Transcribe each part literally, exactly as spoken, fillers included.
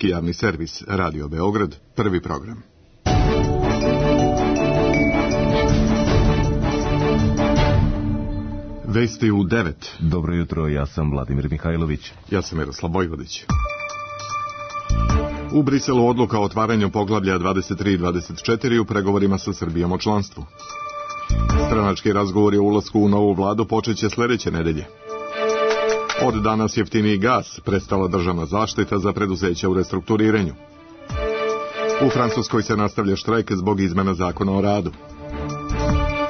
Srpski javni servis, Radio Beograd, prvi program. Vesti u devet. Dobro jutro, ja sam Vladimir Mihajlović. Ja sam Miroslav Vojvodić. U Briselu odluka o otvaranju poglavlja dvadeset tri i dvadeset četiri u pregovorima sa Srbijom o članstvu. Stranački razgovori o ulasku u novu vladu počeće sljedeće nedelje. Od danas jeftiniji gas, prestala državna zaštita za preduzeća u restrukturiranju. U Francuskoj se nastavlja štrajk zbog izmena zakona o radu.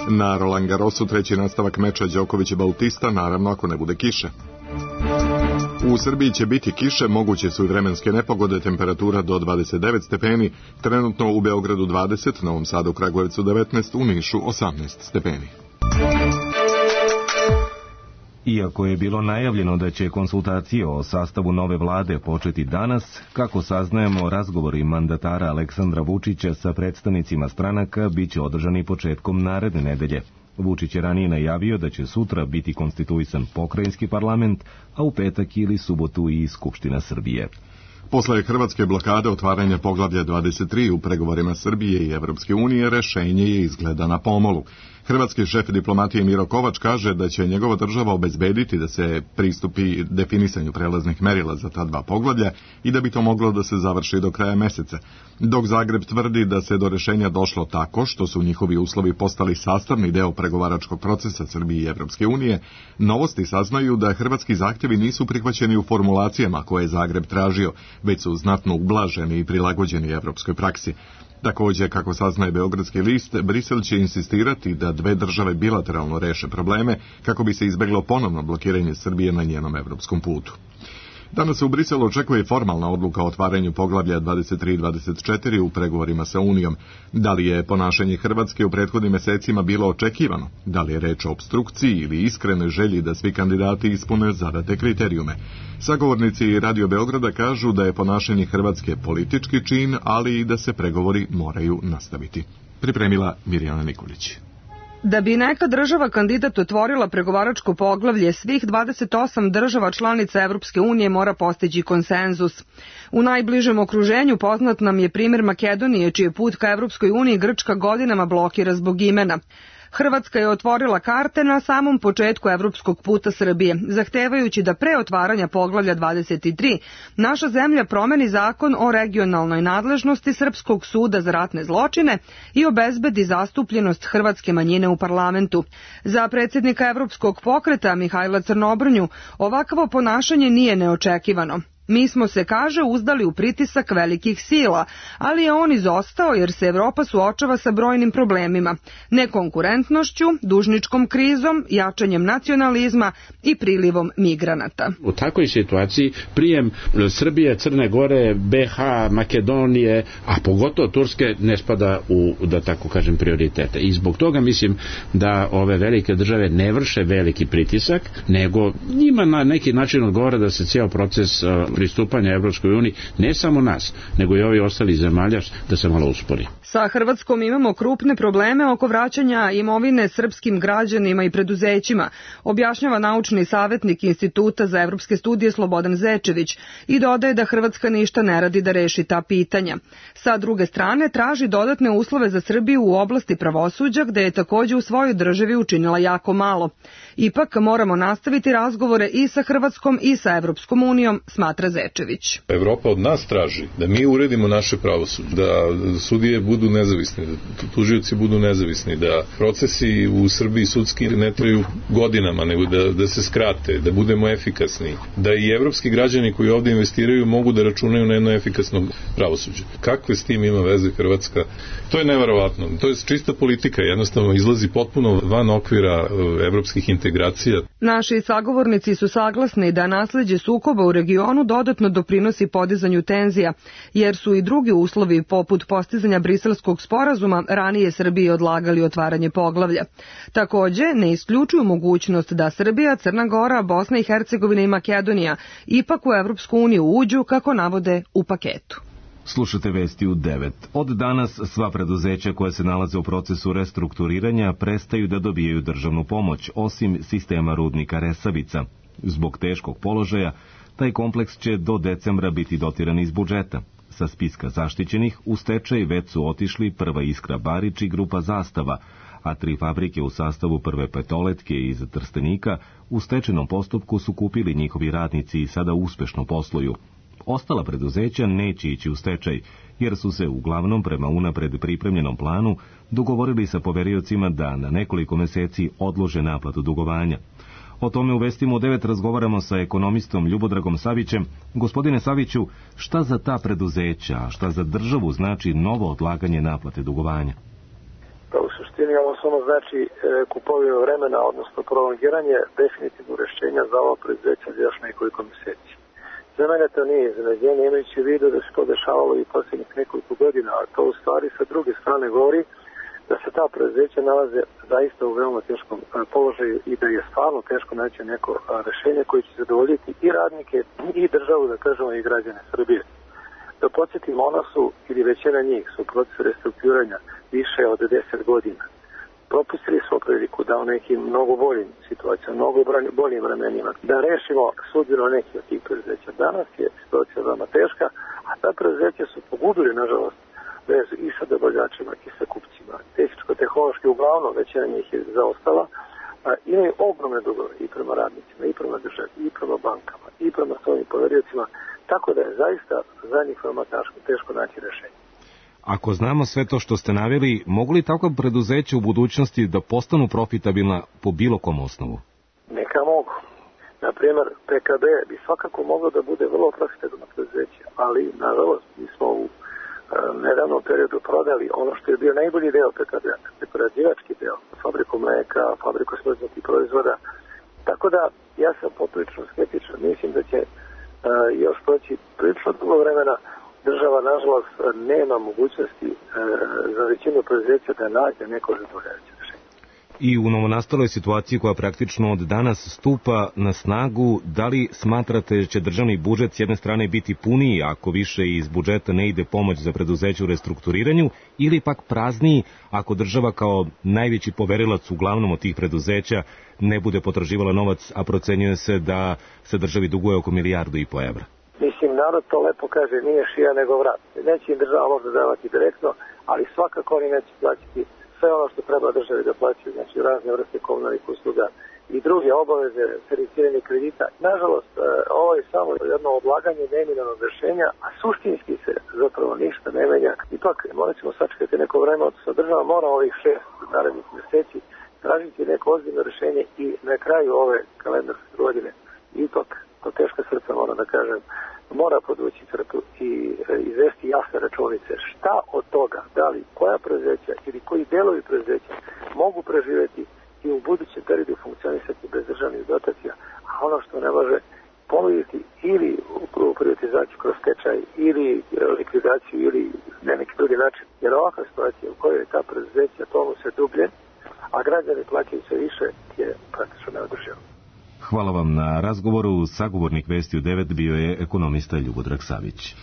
Na Roland Garrosu treći nastavak meča Đoković i Bautista, naravno ako ne bude kiše. U Srbiji će biti kiše, moguće su i vremenske nepogode, temperatura do dvadeset devet stepeni, trenutno u Beogradu dvadeset, Novom Sadu, Kragujevcu devetnaest, u Nišu osamnaest stepeni. Iako je bilo najavljeno da će konsultacije o sastavu nove vlade početi danas, kako saznajemo, razgovori mandatara Aleksandra Vučića sa predstavnicima stranaka biće održani početkom naredne nedelje. Vučić je ranije najavio da će sutra biti konstituisan pokrajinski parlament, a u petak ili subotu i Skupština Srbije. Posle hrvatske blokade otvaranja poglavlja dvadeset tri u pregovorima Srbije i Evropske unije, rešenje je izgleda na pomolu. Hrvatski šef diplomatije Miro Kovač kaže da će njegova država obezbediti da se pristupi definisanju prelaznih merila za ta dva poglavlja i da bi to moglo da se završi do kraja meseca. Dok Zagreb tvrdi da se do rešenja došlo tako što su njihovi uslovi postali sastavni deo pregovaračkog procesa Srbije i Evropske unije, novosti saznaju da hrvatski zahtjevi nisu prihvaćeni u formulacijama koje je Zagreb tražio, već su znatno ublaženi i prilagođeni evropskoj praksi. Također, kako saznaje Beogradski list, Brisel će insistirati da dve države bilateralno reše probleme kako bi se izbeglo ponovno blokiranje Srbije na njenom evropskom putu. Danas se u Briselu očekuje formalna odluka o otvaranju poglavlja dvadeset tri i dvadeset četiri u pregovorima sa Unijom. Da li je ponašanje Hrvatske u prethodnim mesecima bilo očekivano? Da li je reč o opstrukciji ili iskrenoj želji da svi kandidati ispune zadate kriterijume? Sagovornici Radio Beograda kažu da je ponašanje Hrvatske politički čin, ali i da se pregovori moraju nastaviti. Pripremila Mirjana Nikolić. Da bi neka država kandidat otvorila pregovaračko poglavlje, svih dvadeset osam država članica Evropske unije mora postići konsenzus. U najbližem okruženju poznat nam je primjer Makedonije, čiji je put ka Evropskoj uniji Grčka godinama blokira zbog imena. Hrvatska je otvorila karte na samom početku evropskog puta Srbije, zahtevajući da pre otvaranja poglavlja dvadeset tri naša zemlja promeni zakon o regionalnoj nadležnosti Srpskog suda za ratne zločine i obezbedi zastupljenost hrvatske manjine u parlamentu. Za predsjednika Evropskog pokreta Mihajla Crnobrnju ovakvo ponašanje nije neočekivano. Mi smo se, kaže, uzdali u pritisak velikih sila, ali je on izostao jer se Evropa suočava sa brojnim problemima, nekonkurentnošću, dužničkom krizom, jačanjem nacionalizma i prilivom migranata. U takvoj situaciji prijem Srbije, Crne Gore, be ha, Makedonije, a pogotovo Turske ne spada u, da tako kažem, prioritete. I zbog toga mislim da ove velike države ne vrše veliki pritisak, nego njima na neki način odgovara da se cijel proces pristupanja Evropskoj uniji, ne samo nas, nego i ovi ostali zemalja, da se malo uspori. Sa Hrvatskom imamo krupne probleme oko vraćanja imovine srpskim građanima i preduzećima, objašnjava naučni savjetnik Instituta za evropske studije Slobodan Zečević i dodaje da Hrvatska ništa ne radi da reši ta pitanja. Sa druge strane, traži dodatne uslove za Srbiju u oblasti pravosuđa, gde je također u svojoj državi učinila jako malo. Ipak moramo nastaviti razgovore i sa Hrvatskom i sa Evropskom unijom, smatra Zečević. Evropa od nas traži da mi uredimo naše pravosuđe, da sudije budu nezavisni, da tužioci budu nezavisni, da procesi u Srbiji sudski ne traju godinama, nego da, da se skrate, da budemo efikasni, da i evropski građani koji ovdje investiraju mogu da računaju na jedno efikasno pravosuđe. Kakve s tim ima veze Hrvatska? To je neverovatno. To je čista politika, jednostavno izlazi potpuno van okvira evropskih integracija. Naši sagovornici su saglasni da nasleđe sukoba u regionu dodatno doprinosi podizanju tenzija, jer su i drugi uslovi poput postizanja Briselskog sporazuma ranije Srbiji odlagali otvaranje poglavlja. Također ne isključuju mogućnost da Srbija, Crna Gora, Bosna i Hercegovina i Makedonija ipak u Evropsku uniju uđu, kako navode, u paketu. Slušate vesti u devet. Od danas sva preduzeća koja se nalaze u procesu restrukturiranja prestaju da dobijaju državnu pomoć, osim sistema rudnika Resavica. Zbog teškog položaja, taj kompleks će do decembra biti dotiran iz budžeta. Sa spiska zaštićenih u stečaj već su otišli Prva Iskra Barič i grupa Zastava, a tri fabrike u sastavu Prve Petoletke iz Trstenika u stečajnom postupku su kupili njihovi radnici i sada uspešno posluju. Ostala preduzeća neće ići u stečaj, jer su se uglavnom prema unapred pripremljenom planu dogovorili sa poveriocima da na nekoliko meseci odlože naplatu dugovanja. O tome u Vestima u devet razgovaramo sa ekonomistom Ljubodragom Savićem. Gospodine Saviću, šta za ta preduzeća, a šta za državu znači novo odlaganje naplate dugovanja? Pa u suštini ovo samo znači e, kupovinu vremena, odnosno prolongiranje definitivno rešenja za ovo preduzeća za još nekoliko meseci. Za mene to nije iznenađenje, imajući u vidu da se to dešavalo i posljednjih nekoliko godina, a to u stvari sa druge strane govori da se ta preduzeća nalaze zaista u veoma teškom položaju i da je stvarno teško naći neko rešenje koje će zadovoljiti i radnike i državu, da kažemo, i građane Srbije. Da podsjetimo, ona su, ili većina njih, su u procesu restrukturiranja više od deset godina. Propustili smo priliku da u nekim mnogo boljim situacijama, mnogo boljim vremenima, da rešimo sudbinu nekih od tih preduzeća. Danas je situacija veoma teška, a ta preduzeća su pogubili, nažalost, vezu i sa dobavljačima i sa kupcima. Tehničko-tehnološki uglavnom većina njih je zaostala, a, imaju ogromne dugove i prema radnicima, i prema državi, i prema bankama, i prema svojim poveriocima, tako da je zaista za njih veoma teško, teško naći rešenje. Ako znamo sve to što ste naveli, mogu li takva preduzeća u budućnosti da postanu profitabilna po bilo kom osnovu? Neka mogu. Naprimjer, P K B bi svakako moglo da bude vrlo profitabilno preduzeće, ali, nažalost, mi smo u nedavnom periodu prodali ono što je bio najbolji deo P K B-a, prerađivački deo, fabriku mleka, fabriku smrznutih proizvoda. Tako da, ja sam poprilično skeptičan. Mislim da će uh, još proći prilično dugo vremena. Država, nažalost, nema mogućnosti uh, za većinu preduzeća da nađe neko zadovoljavajuće rešenje. I u novonastaloj situaciji koja praktično od danas stupa na snagu, da li smatrate da će državni budžet s jedne strane biti puniji ako više iz budžeta ne ide pomoć za preduzeće u restrukturiranju, ili pak prazniji ako država kao najveći poverilac uglavnom od tih preduzeća ne bude potraživala novac, a procenjuje se da se državi duguje oko milijardu i po evra? Mislim, narod to lepo kaže, nije šija nego vrat. Neće im država možda davati direktno, ali svakako oni neće plaćati sve ono što treba državi da plaćaju, znači razne vrste komunalnih usluga i druge obaveze, servisiranje kredita. Nažalost, ovo je samo jedno odlaganje neminovnog rešenja, a suštinski se zapravo ništa ne menja. Ipak, morat ćemo sačekati neko vreme, odnosno država mora ovih šest narednih meseci tražiti neko ozbiljno rešenje i na kraju ove kalendarske godine ipak, to teška srca mora da kažem, mora podvući crtu i izvesti jasne računice šta od toga, da li koja preduzeća ili koji delovi preduzeća mogu preživeti i u budućem periodu funkcionisati bez državnih dotacija, a ono što ne može ponuditi ili u privatizaciju kroz stečaj ili likvidaciju ili ne neki drugi način. Jer ovakva situacija u kojoj ta preduzeća tomu se dublje, a građani plaćaju sve više, je praktično neodrživo. Hvala vam na razgovoru. Sagovornik Vesti u devet bio je ekonomista Ljubodrag Savić.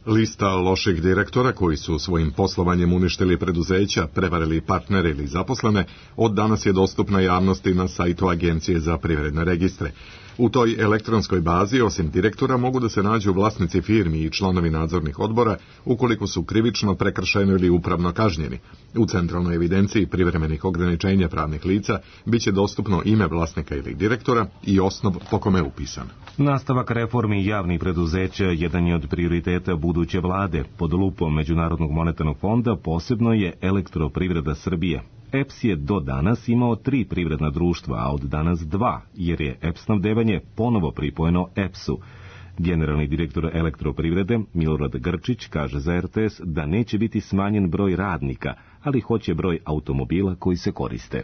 Lista loših direktora koji su svojim poslovanjem uništili preduzeća, prevarili partnere ili zaposlene, od danas je dostupna javnosti na sajtu Agencije za privredne registre. U toj elektronskoj bazi, osim direktora, mogu da se nađu vlasnici firmi i članovi nadzornih odbora ukoliko su krivično, prekršajno ili upravno kažnjeni. U centralnoj evidenciji privremenih ograničenja pravnih lica biće dostupno ime vlasnika ili direktora i osnov po kome je upisan. Nastavak reformi javnih preduzeća jedan je od prioriteta buduće vlade. Pod lupom Međunarodnog monetarnog fonda posebno je Elektroprivreda Srbije. E P S je do danas imao tri privredna društva, a od danas dva, jer je E P snabdevanje ponovo pripojeno E P S-u. Generalni direktor Elektroprivrede Milorad Grčić kaže za R T S da neće biti smanjen broj radnika, ali hoće broj automobila koji se koriste.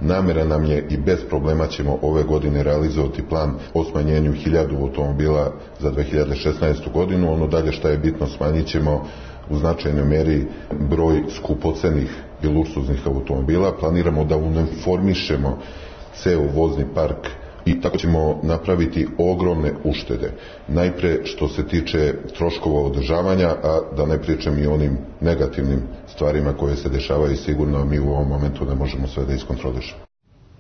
Namera nam je i bez problema ćemo ove godine realizovati plan o smanjenju hiljadu automobila za dve hiljade šesnaestu godinu. Ono dalje što je bitno, smanjit ćemo u značajnoj meri broj skupocenih i luksuznih automobila. Planiramo da uniformišemo ceo vozni park i tako ćemo napraviti ogromne uštede. Najpre što se tiče troškova održavanja, a da ne pričam i onim negativnim stvarima koje se dešavaju, sigurno mi u ovom momentu ne možemo sve da iskontrolišemo.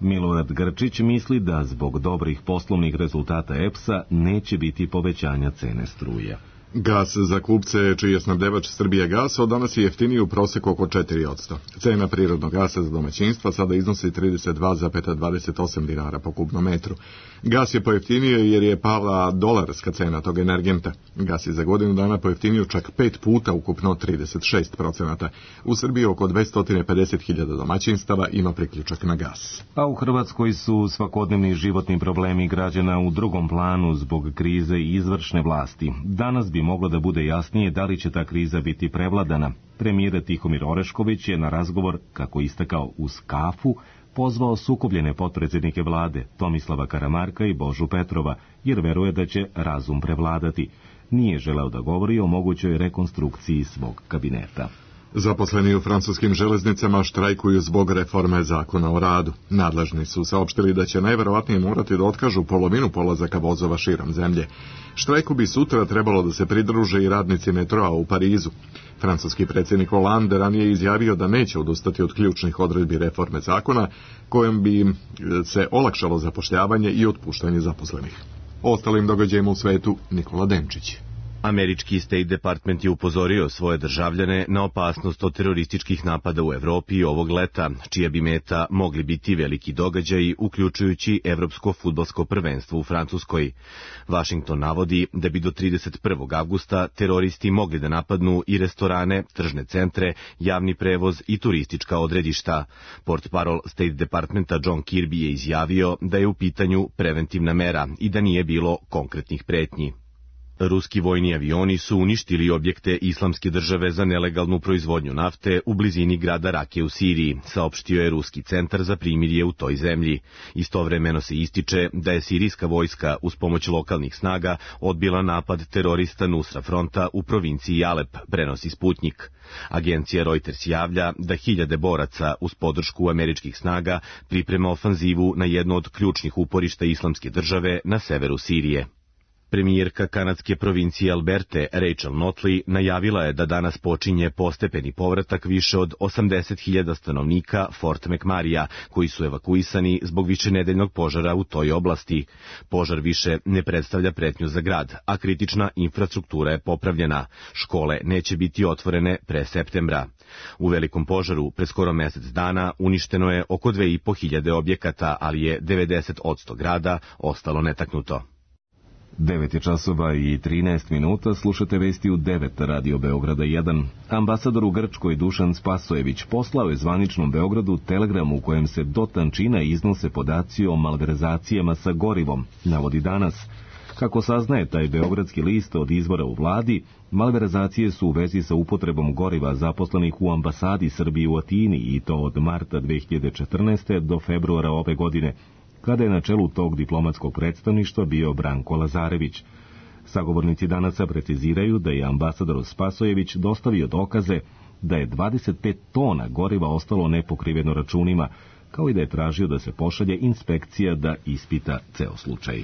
Milorad Grčić misli da zbog dobrih poslovnih rezultata E P S-a neće biti povećanja cene struje. Gas za kupce, čiji je snabdevač Srbija gas, od danas je jeftiniji u proseku oko četiri posto. Cena prirodnog gasa za domaćinstva sada iznosi trideset dva zarez dvadeset osam dinara po kubnom metru. Gas je pojeftinio jer je pala dolarska cena tog energenta. Gas je za godinu dana pojeftinio čak pet puta, ukupno trideset šest procenata. U Srbiji oko dvesta pedeset hiljada domaćinstava ima priključak na gas. A u Hrvatskoj su svakodnevni životni problemi građana u drugom planu zbog krize i izvršne vlasti. Danas bi moglo da bude jasnije da li će ta kriza biti prevladana. Premijer Tihomir Orešković je na razgovor, kako istakao uz kafu, pozvao sukobljene potpredsjednike vlade Tomislava Karamarka i Božu Petrova, jer veruje da će razum prevladati. Nije želeo da govori o mogućoj rekonstrukciji svog kabineta. Zaposleni u francuskim železnicama štrajkuju zbog reforme zakona o radu. Nadležni su saopštili da će najverovatnije morati da otkažu polovinu polazaka vozova širom zemlje. Štrajku bi sutra trebalo da se pridruže i radnici metroa u Parizu. Francuski predsjednik Hollande ranije izjavio da neće odustati od ključnih odredbi reforme zakona, kojom bi se olakšalo zapošljavanje i otpuštanje zaposlenih. O ostalim događajima u svetu Nikola Denčić. Američki State Department je upozorio svoje državljane na opasnost od terorističkih napada u Evropi ovog leta, čija bi meta mogli biti veliki događaji, uključujući Evropsko fudbalsko prvenstvo u Francuskoj. Washington navodi da bi do trideset prvog avgusta teroristi mogli da napadnu i restorane, tržne centre, javni prevoz i turistička odredišta. Portparol State Departmenta John Kirby je izjavio da je u pitanju preventivna mera i da nije bilo konkretnih pretnji. Ruski vojni avioni su uništili objekte Islamske države za nelegalnu proizvodnju nafte u blizini grada Rake u Siriji, saopštio je Ruski centar za primirje u toj zemlji. Istovremeno se ističe da je sirijska vojska uz pomoć lokalnih snaga odbila napad terorista Nusra Fronta u provinciji Alep, prenosi Sputnik. Agencija Reuters javlja da hiljade boraca uz podršku američkih snaga priprema ofanzivu na jedno od ključnih uporišta Islamske države na severu Sirije. Premijerka kanadske provincije Alberte, Rachel Notley, najavila je da danas počinje postepeni povratak više od osamdeset hiljada stanovnika Fort McMurraya, koji su evakuisani zbog višenedeljnog požara u toj oblasti. Požar više ne predstavlja pretnju za grad, a kritična infrastruktura je popravljena. Škole neće biti otvorene pre septembra. U velikom požaru pre skoro mesec dana uništeno je oko dve i po hiljade objekata, ali je devedeset posto grada ostalo netaknuto. devet je časova i trinaest minuta, slušate vesti u devet Radio Beograda jedan. Ambasador u Grčkoj Dušan Spasojević poslao je zvaničnom Beogradu telegram u kojem se do tančina iznose podaci o malverzacijama sa gorivom, navodi danas. Kako saznaje taj beogradski list od izvora u vladi, malverzacije su u vezi sa upotrebom goriva zaposlenih u ambasadi Srbije u Atini i to od marta dve hiljade četrnaeste. do februara ove godine, kada je na čelu tog diplomatskog predstavništva bio Branko Lazarević. Sagovornici Danasa preciziraju da je ambasador Spasojević dostavio dokaze da je dvadeset pet tona goriva ostalo nepokriveno računima, kao i da je tražio da se pošalje inspekcija da ispita ceo slučaj.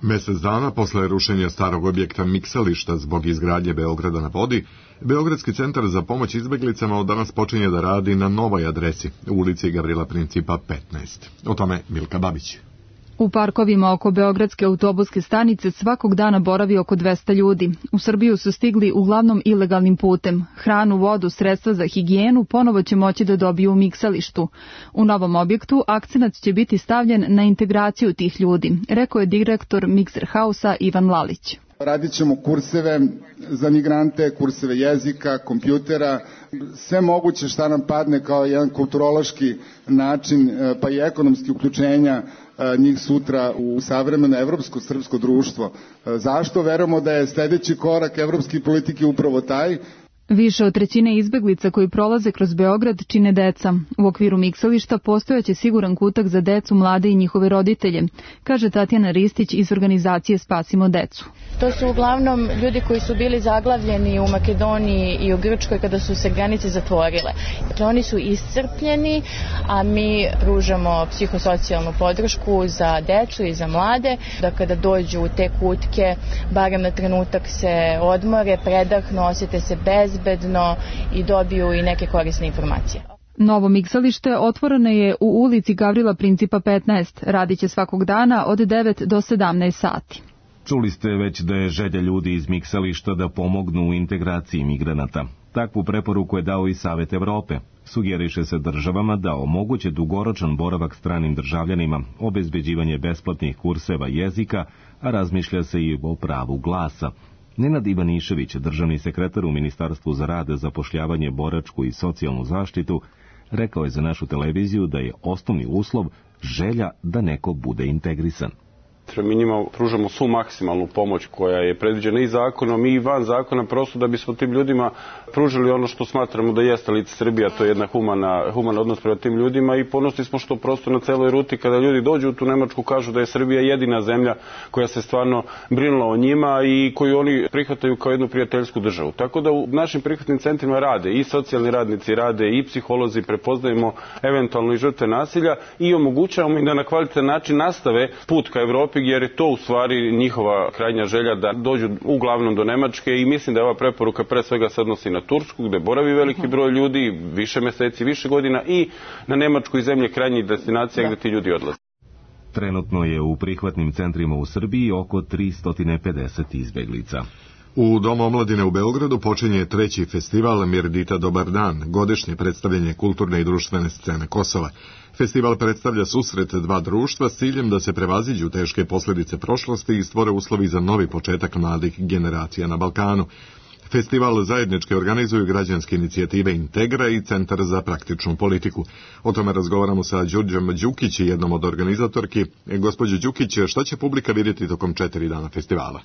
Mesec dana posle rušenja starog objekta miksališta zbog izgradnje Beograda na vodi, Beogradski centar za pomoć izbeglicama od danas počinje da radi na novoj adresi, u ulici Gavrila Principa petnaest. O tome Milka Babić. U parkovima oko Beogradske autobuske stanice svakog dana boravi oko dvesta ljudi. U Srbiju su stigli uglavnom ilegalnim putem. Hranu, vodu, sredstva za higijenu ponovo će moći da dobiju u miksalištu. U novom objektu akcenat će biti stavljen na integraciju tih ljudi, rekao je direktor Mixer House-a Ivan Lalić. Radit ćemo kurseve za migrante, kurseve jezika, kompjutera, sve moguće šta nam padne kao jedan kulturološki način, pa i ekonomski uključenja njih sutra u savremeno evropsko srpsko društvo. Zašto? Verujemo da je sledeći korak evropske politike upravo taj. Više od trećine izbeglica koji prolaze kroz Beograd čine deca. U okviru miksališta postojaće siguran kutak za decu, mlade i njihove roditelje, kaže Tatjana Ristić iz organizacije Spasimo decu. To su uglavnom ljudi koji su bili zaglavljeni u Makedoniji i u Grčkoj kada su se granice zatvorile. Dakle, oni su iscrpljeni, a mi pružamo psihosocijalnu podršku za decu i za mlade, da kada dođu u te kutke, barem na trenutak se odmore, predahnu, osjete se bezbedno i dobiju i neke korisne informacije. Novo miksalište otvoreno je u ulici Gavrila Principa petnaest. Radiće svakog dana od devet do sedamnaest sati. Čuli ste već da je želja ljudi iz miksališta da pomognu u integraciji migranata. Takvu preporuku je dao i Savet Evrope. Sugeriše se državama da omoguće dugoročan boravak stranim državljanima, obezbeđivanje besplatnih kurseva jezika, a razmišlja se i o pravu glasa. Nenad Ivanišević, državni sekretar u Ministarstvu za rad, zapošljavanje, boračku i socijalnu zaštitu, rekao je za našu televiziju da je osnovni uslov želja da neko bude integrisan. Mi njima pružamo svu maksimalnu pomoć koja je predviđena i zakonom i van zakona, prosto da bismo tim ljudima pružili ono što smatramo da jeste lice Srbija, to je jedna humana, human odnos prema tim ljudima i ponosni smo što prosto na celoj ruti kada ljudi dođu u tu Nemačku kažu da je Srbija jedina zemlja koja se stvarno brinula o njima i koju oni prihvataju kao jednu prijateljsku državu. Tako da u našim prihvatnim centrima rade i socijalni radnici, rade i psiholozi, prepoznajemo eventualno i žrtve nasilja i omogućavamo im da na kvalitetan način nastave put ka Evropi, jer je to u stvari njihova krajnja želja da dođu uglavnom do Nemačke i mislim da je ova preporuka pre svega se odnosi na Tursku gde boravi veliki broj ljudi, više meseci, više godina i na Nemačku i zemlje krajnjih destinacija gde ti ljudi odlaze. Trenutno je u prihvatnim centrima u Srbiji oko tristo pedeset izbeglica. U Domu omladine u Beogradu počinje treći festival Mirdita Dobar dan, godišnje predstavljanje kulturne i društvene scene Kosova. Festival predstavlja susret dva društva s ciljem da se prevaziđu teške posljedice prošlosti i stvore uslovi za novi početak mladih generacija na Balkanu. Festival zajednički organizuju građanske inicijative Integra i Centar za praktičnu politiku. O tome razgovaramo sa Đurđom Đukić, jednom od organizatorki. Gospođo Đukić, šta će publika vidjeti tokom četiri dana festivala?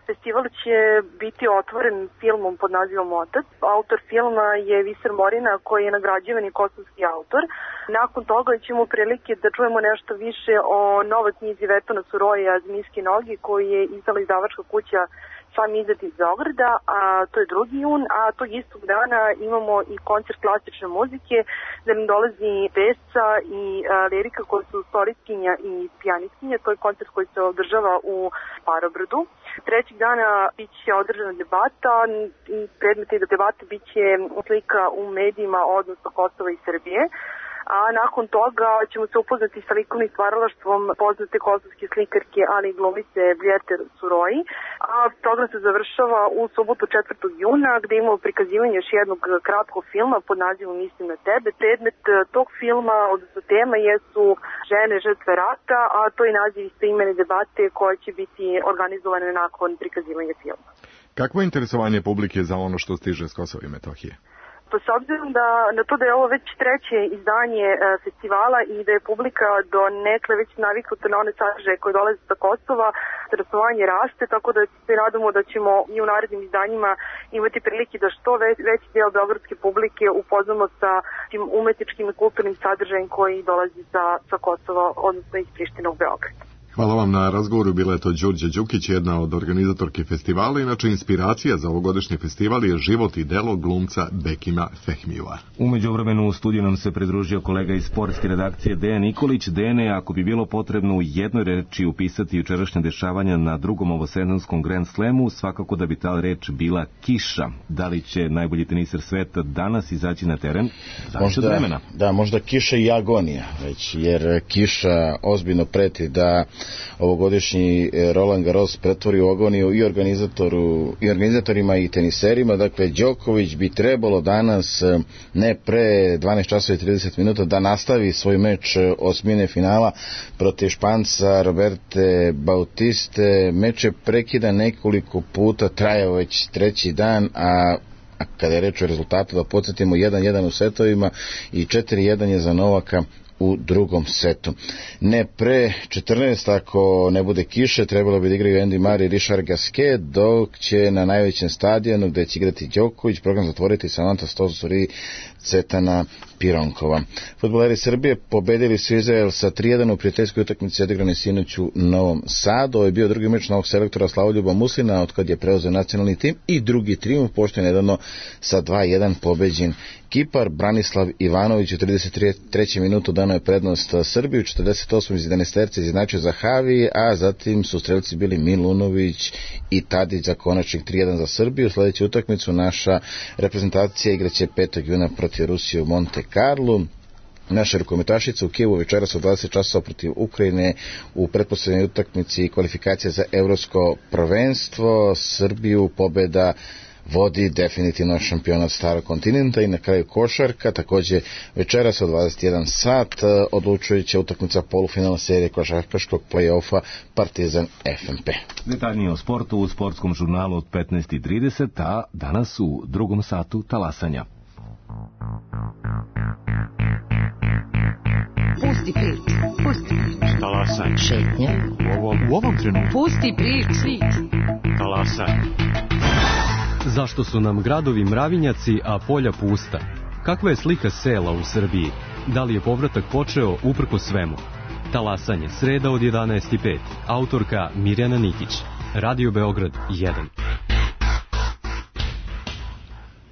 Festival će biti otvoren filmom pod nazivom Otac. Autor filma je Viser Morina, koji je nagrađivani kosovski autor. Nakon toga ćemo prilike da čujemo nešto više o novoj knjizi Vetona Suroja Zmijske noge, koji je izdala izdavačka kuća Sam izad iz Beograda, a to je drugi jun, a tog istog dana imamo i koncert klasične muzike, gde nam dolazi Vesca i a, Lirika, koji su solistkinja i pijanistkinja. To je koncert koji se održava u Parobrdu. Trećeg dana bit će održana debata i predmet te debate bit će slika u medijima odnosno Kosova i Srbije. A nakon toga ćemo se upoznati sa likovnim stvaralaštvom poznate kosovske slikarke, ali i glumice Vljerte Suroji. A program se završava u subotu četvrtog juna, gde imamo prikazivanje još jednog kratkog filma pod nazivom Mislim na tebe. Predmet tog filma, odnosno tema, jesu žene žrtve rata, a to je naziv istoimene debate koja će biti organizovana nakon prikazivanja filma. Kakvo je interesovanje publike za ono što stiže s Kosova i Metohije? Pa s obzirom da, na to da je ovo već treće izdanje e, festivala i da je publika do nekle već naviknuta na one sadržaje koje dolaze sa Kosova, interesovanje raste, tako da se nadamo da ćemo i u narednim izdanjima imati prilike da što već, veći deo beogradske publike upoznamo sa tim umetničkim i kulturnim sadržajem koji dolazi sa, sa Kosova, odnosno iz Prištine u Beograd. Hvala vam na razgovoru, bila je to Đurđa Đukić, jedna od organizatorki festivala. Inače, inspiracija za ovogodišnji festival je život i delo glumca Bekima Fehmijua. U međuvremenu u studiju nam se pridružio kolega iz sportske redakcije Dejan Nikolić. Dejane, ako bi bilo potrebno u jednoj reči upisati jučerašnje dešavanja na drugom ovosezonskom Grand Slamu, svakako da bi ta reč bila kiša. Da li će najbolji teniser sveta danas izaći na teren? Zavisi od vremena. Da, možda kiša i agonija, već, jer kiša ozbiljno preti da ovogodišnji Roland Garros pretvori u agoniju i organizatoru i organizatorima i teniserima. Dakle, Đoković bi trebalo danas ne pre dvanaest časova i trideset minuta da nastavi svoj meč osmine finala protiv Španca Roberte Bautiste. Meč je prekidan nekoliko puta, trajao već treći dan, a A kada je reč o rezultatu, da podsjetimo, jedan jedan u setovima i četiri jedan je za Novaka u drugom setu. Ne pre četrnaest, ako ne bude kiše, trebalo bi da igraju Andy Murray i Richard Gasquet, dok će na najvećem stadionu gde će igrati Đoković program zatvoriti Samanta Stosur i Cetana Pironkova. Fudbaleri Srbije pobedili su Izrael sa tri jedan u prijateljskoj utakmici odigrane sinoć u Novom Sadu. Ovo je bio drugi meč novog selektora Slavoljuba Muslina od kad je preuzeo nacionalni tim i drugi trijumf, pošto je nedavno sa dva jedan pobeđen Kipar. Branislav Ivanović u trideset trećoj minutu dano je prednost Srbiju, u četrdeset osmoj iz jedanaesterce izjednačio Zahavi, a zatim su strelci bili Milunović i Tadić za konačnih tri jedan za Srbiju. Sljedeću utakmicu naša reprezentacija igraće petog juna protiv Rusije u Monte Carlu. Naša rukometašica u Kijevu večeras u dvadeset časova protiv Ukrajine u pretposlednjoj utakmici kvalifikacija za evropsko prvenstvo. Srbiju pobeda vodi definitivno šampionat starog kontinenta. I na kraju košarka, takođe večeras u dvadeset jedan sat odlučujuća utakmica polufinala serije košarkaškog play-offa Partizan F M P. Detaljnije o sportu u sportskom žurnalu od petnaest i trideset, a danas u drugom satu talasanja. Pusti prič, pusti prič. Talasanje. Šetnja. U ovom, u ovom trenutku. Pusti prič. Talasanje. Zašto su nam gradovi mravinjaci, a polja pusta? Kakva je slika sela u Srbiji? Da li je povratak počeo uprko svemu? Talasanje, sreda od jedanaest i pet. Autorka Mirjana Nikić. Radio Beograd jedan.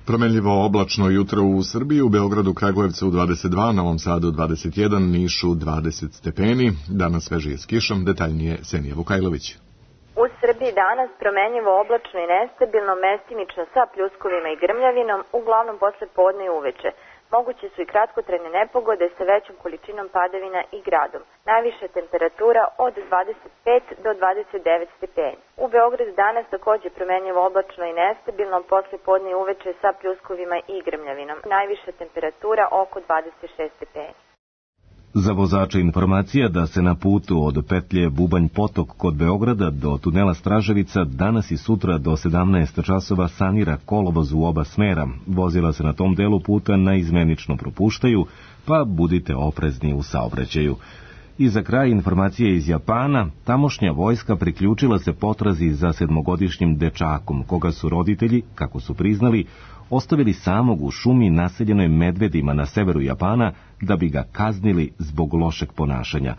Promenljivo oblačno jutro u Srbiji, u Beogradu, Kragujevcu dvadeset dva, Novom Sadu dvadeset jedan, Nišu dvadeset stepeni. Danas svežije s kišom, detaljnije Senija Vukajlović. U Srbiji danas promenljivo oblačno i nestabilno, mestimično sa pljuskovima i grmljavinom, uglavnom posle podne i uveče. Moguće su i kratkotrajne nepogode sa većom količinom padavina i gradom. Najviša temperatura od dvadeset pet do dvadeset devet stepeni. U Beogradu danas takođe promenljivo oblačno i nestabilno, posle podne i uveče sa pljuskovima i grmljavinom. Najviša temperatura oko dvadeset šest stepeni. Za vozača informacija da se na putu od petlje Bubanj Potok kod Beograda do tunela Straževica danas i sutra do sedamnaest časova sanira kolovoz u oba smera. Vozila se na tom delu puta naizmenično propuštaju, pa budite oprezni u saobraćaju. I za kraj informacije iz Japana, tamošnja vojska priključila se potrazi za sedmogodišnjim dečakom, koga su roditelji, kako su priznali, ostavili samog u šumi naseljenoj medvedima na severu Japana da bi ga kaznili zbog lošeg ponašanja.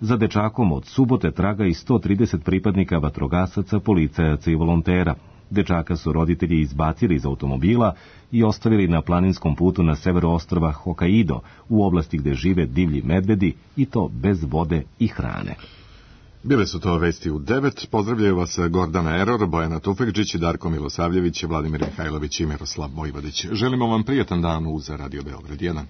Za dečakom od subote traga i sto trideset pripadnika vatrogasaca, policajaca i volontera. Dečaka su roditelji izbacili iz automobila i ostavili na planinskom putu na severu ostrva Hokkaido, u oblasti gde žive divlji medvedi, i to bez vode i hrane. Bile su to vesti u devet. Pozdravljaju vas Gordana Eror, Bojana Tufekđić, Darko Milosavljević, Vladimir Mihajlović i Miroslav Vojvodić. Želimo vam prijatan dan uz Radio Beograd jedan.